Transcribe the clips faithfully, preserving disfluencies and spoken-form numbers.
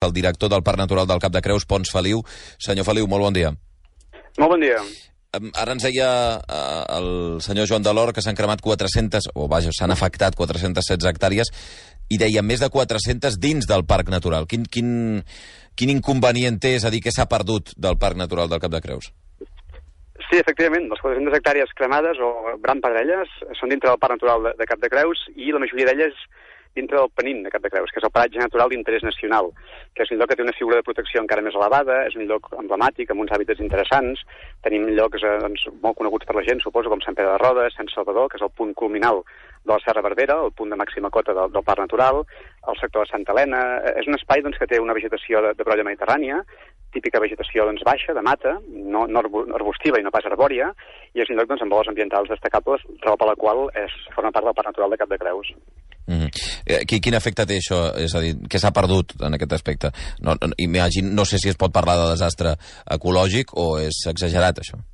el director del Parc Natural del Cap de Creus, Pons Feliu. Senyor Feliu, molt bon dia. Molt bon dia. Ara ens deia eh, el senyor Joan Delor que s'han cremat quatre-centes, o vaja, s'han afectat quatre-centes setze hectàrees, i deia més de quatre-centes dins del Parc Natural. Quin, quin, quin inconvenient té, és a dir, què s'ha perdut del Parc Natural del Cap de Creus? Sí, efectivament, les quatre-centes hectàrees cremades, o gran part d'elles, són dintre del Parc Natural de, de Cap de Creus, i la majoria d'elles dintre del Penin de Cap de Creus, que és el paratge natural d'interès nacional, que és un lloc que té una figura de protecció encara més elevada, és un lloc emblemàtic, amb uns hàbitats interessants. Tenim llocs eh, doncs, molt coneguts per la gent, suposo, com Sant Pere de Rodes, Sant Salvador, que és el punt culminal de la Serra Barbera, el punt de màxima cota del, del Parc Natural, el sector de Santa Helena. És un espai doncs, que té una vegetació de, de brolla mediterrània, típica vegetació doncs, baixa, de mata, no, no arbustiva i no pas arbòria, i és un lloc doncs, amb valors ambientals destacables, raó per la qual és, forma part del Parc Natural de Cap de Creus. Mm-hmm. Quin efecte té això? És a dir, què s'ha perdut en aquest aspecte? No, no, imagine, no sé si es pot parlar de desastre ecològic o és exagerat, això.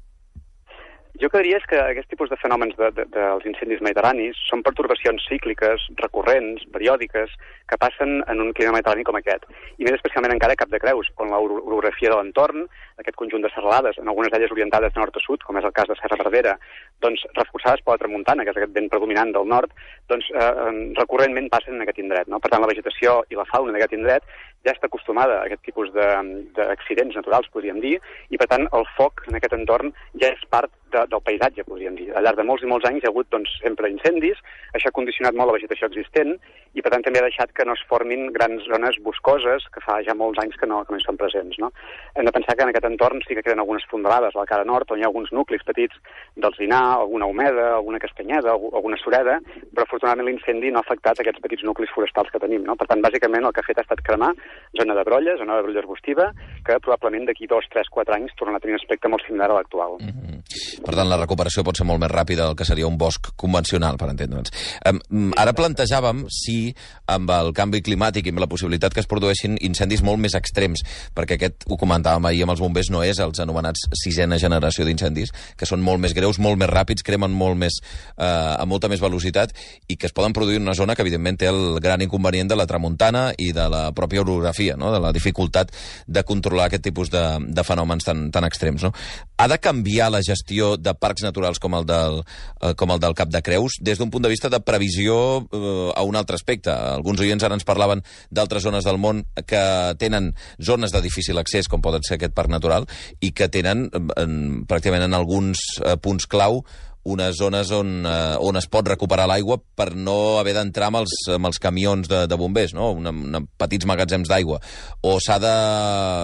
Jo que diria és que aquest tipus de fenòmens de, de, dels incendis mediterranis són pertorbacions cícliques, recurrents, periòdiques, que passen en un clima mediterrani com aquest. I més especialment encara a Cap de Creus, on l'orografia de l'entorn, aquest conjunt de serralades, en algunes d'elles orientades de nord a sud, com és el cas de Serra Barbera, doncs reforçades per la tramuntana, que és aquest vent predominant del nord, doncs eh, recurrentment passen en aquest indret, no? Per tant, la vegetació i la fauna d'aquest indret ja està acostumada a aquest tipus d'accidents naturals, podríem dir, i per tant el foc en aquest entorn ja és part de, del paisatge, podríem dir. Al llarg de molts i molts anys hi ha hagut doncs, sempre incendis, això ha condicionat molt la vegetació existent i per tant també ha deixat que no es formin grans zones boscoses que fa ja molts anys que no, que no hi són presents. No? Hem de pensar que en aquest entorn sí que queden algunes fondalades a la cara nord, on hi ha alguns nuclis petits d'alzinar, alguna humeda, alguna castanyeda, alguna sureda, però afortunadament l'incendi no ha afectat aquests petits nuclis forestals que tenim. No? Per tant, bàsicament el que ha fet ha estat cremar zona de brolla, zona de brolla arbustiva, que probablement d'aquí dos, tres, quatre anys tornarà a tenir un aspecte molt similar a l'actual. Mm-hmm. Per tant, la recuperació pot ser molt més ràpida del que seria un bosc convencional, per entendre'ns. Um, ara plantejàvem si, amb el canvi climàtic i amb la possibilitat que es produeixin incendis molt més extrems, perquè aquest, ho comentàvem ahir amb els bombers, no és els anomenats sisena generació d'incendis, que són molt més greus, molt més ràpids, cremen molt més, eh, a molta més velocitat, i que es poden produir en una zona que, evidentment, té el gran inconvenient de la tramuntana i de la pròpia orografia, no? De la dificultat de controlar aquest tipus de, de fenòmens tan, tan extrems. No? Ha de canviar la gestió de parcs naturals com el del, eh, com el del Cap de Creus des d'un punt de vista de previsió eh, a un altre aspecte. Alguns oients ara ens parlaven d'altres zones del món que tenen zones de difícil accés, com poden ser aquest parc natural, i que tenen en, pràcticament en alguns eh, punts clau unes zones on, eh, on es pot recuperar l'aigua per no haver d'entrar amb, els, amb els camions de, de bombers, no? Una, una petits magatzems d'aigua. O s'ha de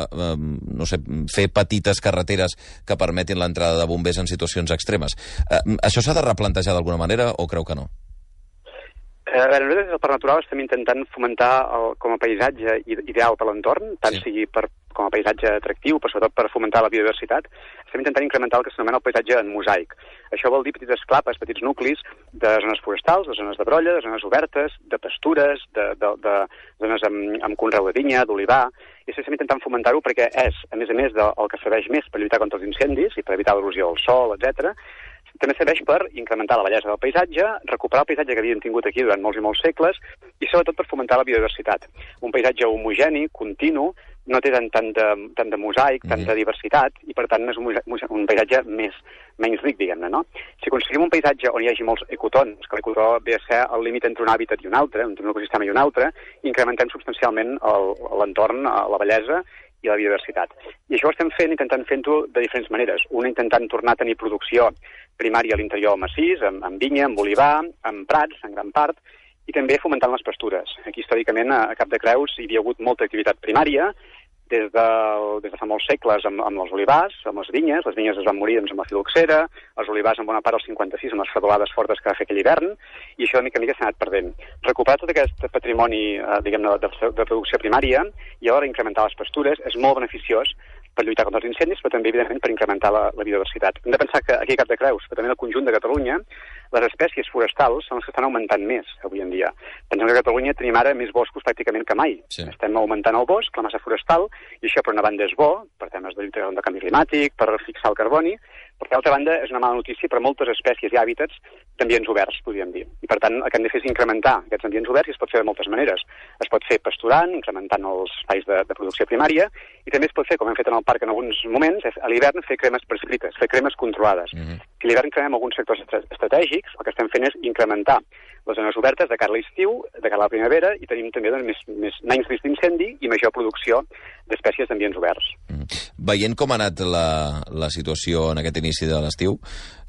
eh, no sé, fer petites carreteres que permetin l'entrada de bombers en situacions extremes. Eh, això s'ha de replantejar d'alguna manera o creu que no? Eh, a veure, nosaltres des del Parc Natural estem intentant fomentar el, com a paisatge ideal per l'entorn, tant sí. sigui per, com a paisatge atractiu, però sobretot per fomentar la biodiversitat. Estem intentant incrementar el que s'anomena el paisatge en mosaic. Això vol dir petites clapes, petits nuclis de zones forestals, de zones de brolla, de zones obertes, de pastures, de, de, de zones amb, amb conreu de vinya, d'olivar, i estem intentant fomentar-ho perquè és, a més a més del que serveix més per lluitar contra els incendis i per evitar l'erosió del sòl, etcètera, també serveix per incrementar la bellesa del paisatge, recuperar el paisatge que havíem tingut aquí durant molts i molts segles i sobretot per fomentar la biodiversitat. Un paisatge homogeni, continu, no té tant, tant, de, tant de mosaic, mm-hmm. tant de diversitat, i per tant és un, un paisatge més, menys ric, diguem-ne, no? Si aconseguim un paisatge on hi hagi molts ecotons, que l'ecotó ve a ser el límit entre un hàbitat i un altre, entre un ecosistema i un altre, incrementem substancialment l'entorn, la bellesa i la biodiversitat. I això ho estem fent, intentant fent-ho de diferents maneres. Una intentant tornar a tenir producció primària a l'interior del massís, amb, amb vinya, amb olivar, amb prats, en gran part, i també fomentant les pastures. Aquí, històricament, a Cap de Creus hi havia hagut molta activitat primària, des de, des de fa molts segles amb, amb els olivars, amb les vinyes. Les vinyes es van morir doncs, amb la filoxera, els olivars en bona part als cinquanta-sis amb les fredolades fortes que va fer aquell hivern, i això de mica en mica s'ha anat perdent. Recuperar tot aquest patrimoni eh, diguem-ne de, de, de producció primària i alhora incrementar les pastures és molt beneficiós per lluitar contra els incendis, però també, evidentment, per incrementar la, la biodiversitat. Hem de pensar que aquí a Cap de Creus, però també al conjunt de Catalunya, les espècies forestals són les que estan augmentant més avui en dia. Pensem que a Catalunya tenim ara més boscos pràcticament que mai. Sí. Estem augmentant el bosc, la massa forestal, i això per una banda és bo, per temes de lluita contra el canvi climàtic, per fixar el carboni, Però, d'altra banda, és una mala notícia per a moltes espècies i hàbitats d'ambients oberts, podríem dir. I, per tant, el que hem de fer és incrementar aquests ambients oberts, i es pot fer de moltes maneres. Es pot fer pasturant, incrementant els espais de, de producció primària, i també es pot fer, com hem fet en el parc en alguns moments, és a l'hivern fer cremes prescrites, fer cremes controlades. Mm-hmm. Si a l'hivern cremem alguns sectors estratègics, el que estem fent és incrementar les zones obertes de cara a l'estiu, de cara a la primavera, i tenim també doncs, més, més, menys risc d'incendi i major producció d'espècies d'ambients oberts. Mm. Veient com ha anat la, la situació en aquest inici de l'estiu,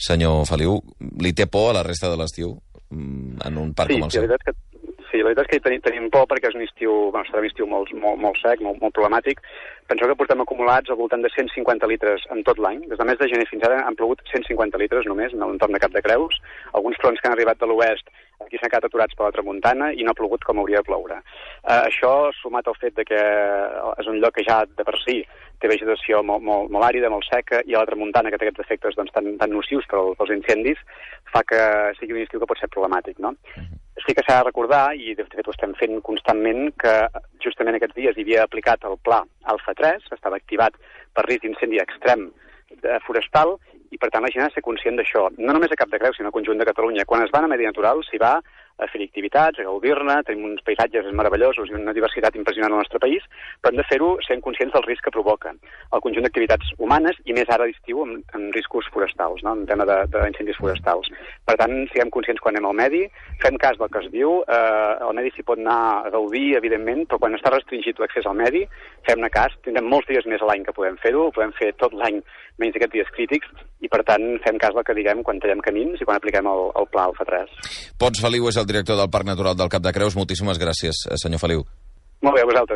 senyor Feliu, li té por a la resta de l'estiu en un parc sí, com el seu? Sí, la veritat és que Sí, la veritat és que tenim, tenim por perquè és un estiu, bueno, serà un estiu molt, molt, molt sec, molt, molt problemàtic. Penseu que portem acumulats al voltant de cent cinquanta litres en tot l'any. Des del mes de gener fins ara han plogut cent cinquanta litres només en l'entorn de Cap de Creus. Alguns fronts que han arribat de l'oest aquí s'han quedat aturats per la tramuntana i no ha plogut com hauria de ploure. Uh, això, sumat al fet de que és un lloc que ja de per si té vegetació molt, molt, molt àrida, molt seca, i a la tramuntana que té aquests efectes doncs, tan, tan nocius per als incendis, fa que sigui un estiu que pot ser problemàtic, no? Sí que s'ha de recordar, i de fet ho estem fent constantment, que justament aquests dies hi havia aplicat el pla Alfa tres, que estava activat per risc d'incendi extrem forestal, i per tant la gent ha de ser conscient d'això. No només a Cap de Creus, sinó al conjunt de Catalunya. Quan es va a Medi Natural s'hi va a fer activitats, a gaudir-ne, tenim uns paisatges meravellosos i una diversitat impressionant al nostre país, però hem de fer-ho sent conscients del risc que provoca el conjunt d'activitats humanes, i més ara a l'estiu amb, amb riscos forestals, no? En tema d'incendis forestals. Per tant, siguem conscients quan anem al medi, fem cas del que es diu, eh, el medi s'hi pot anar a gaudir, evidentment, però quan està restringit l'accés al medi, fem-ne cas, tindrem molts dies més a l'any que podem fer-ho, ho podem fer tot l'any menys aquests dies crítics, i per tant fem cas del que diguem quan tallem camins i quan apliquem el, el pla Alfa tres. Pons Feliu és el director del Parc Natural del Cap de Creus. Moltíssimes gràcies, senyor Feliu. Molt bé, a vosaltres.